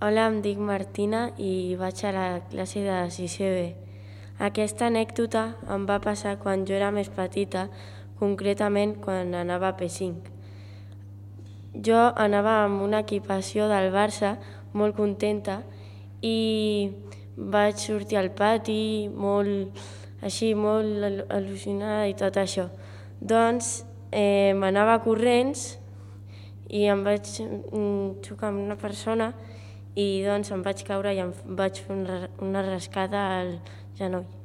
Hola, em dic Martina i vaig a la classe de 6è B. Aquesta anècdota em va passar quan jo era més petita, concretament quan anava a P5. Jo anava amb una equipació del Barça molt contenta i vaig sortir al pati molt al·lucinada i tot això. Doncs m'anava corrents i em vaig xocar amb una persona i doncs em vaig caure i em vaig fer una rascada al genoll.